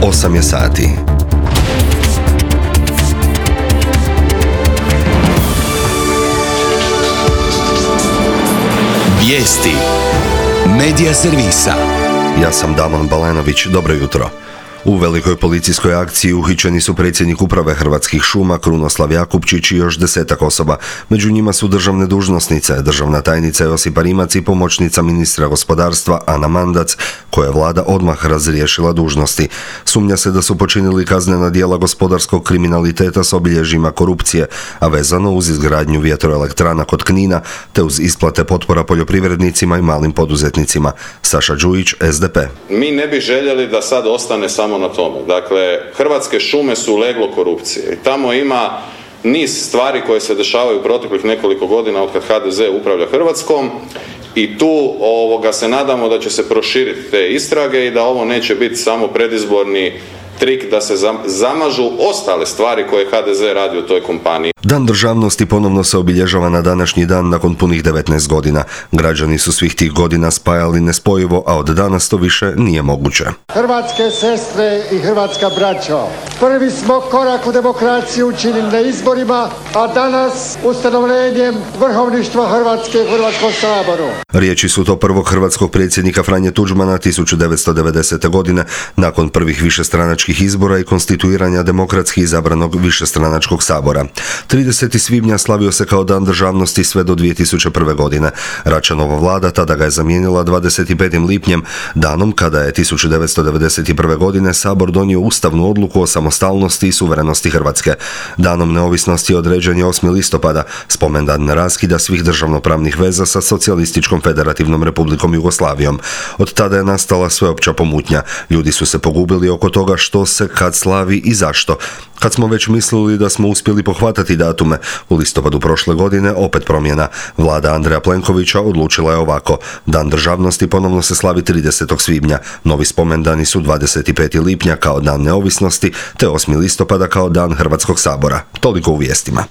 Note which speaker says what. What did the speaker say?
Speaker 1: 8 je sati.
Speaker 2: Vijesti Medija servisa.
Speaker 1: Ja sam Damon Balenović, dobro jutro. U velikoj policijskoj akciji uhićeni su predsjednik uprave Hrvatskih šuma Krunoslav Jakupčić i još 10 osoba. Među njima su državne dužnosnice, državna tajnica Josipa Rimac i pomoćnica ministra gospodarstva Ana Mandac, koje je vlada odmah razriješila dužnosti. Sumnja se da su počinili kaznena djela gospodarskog kriminaliteta s obilježjima korupcije, a vezano uz izgradnju vjetroelektrana kod Knina, te uz isplate potpora poljoprivrednicima i malim poduzetnicima. Saša Đujić, SDP.
Speaker 3: Mi ne bi željeli da sad ostane samo na tome. Dakle, Hrvatske šume su leglo korupcije i tamo ima niz stvari koje se dešavaju u proteklih nekoliko godina od kad HDZ upravlja Hrvatskom i tu se nadamo da će se proširiti te istrage i da ovo neće biti samo predizborni trik da se zamažu ostale stvari koje HDZ radi u toj kompaniji.
Speaker 1: Dan državnosti ponovno se obilježava na današnji dan nakon punih 19 godina. Građani su svih tih godina spajali nespojivo, a od danas to više nije moguće.
Speaker 4: Hrvatske sestre i hrvatska braćo, prvi smo korak u demokraciju učinili na izborima, a danas ustanovljenjem vrhovništva Hrvatske u Hrvatskom saboru.
Speaker 1: Riječi su to prvog hrvatskog predsjednika Franje Tuđmana 1990. godine nakon prvih višestranačkih izbora i konstituiranja demokratski izabranog višestranačkog sabora. 30. svibnja slavio se kao dan državnosti sve do 2001. godine. Račanova vlada tada ga je zamijenila 25. lipnjem, danom kada je 1991. godine Sabor donio ustavnu odluku o samostalnosti i suverenosti Hrvatske. Danom neovisnosti određen je 8. listopada, spomendan na raskida svih državnopravnih veza sa Socijalističkom federativnom republikom Jugoslavijom. Od tada je nastala sveopća pomutnja. Ljudi su se pogubili oko toga što se kad slavi i zašto. Kad smo već mislili da smo uspjeli pohvatati datume, u listopadu prošle godine opet promjena. Vlada Andreja Plenkovića odlučila je ovako. Dan državnosti ponovno se slavi 30. svibnja. Novi spomendani su 25. lipnja kao dan neovisnosti, te 8. listopada kao dan Hrvatskog sabora. Toliko u vijestima.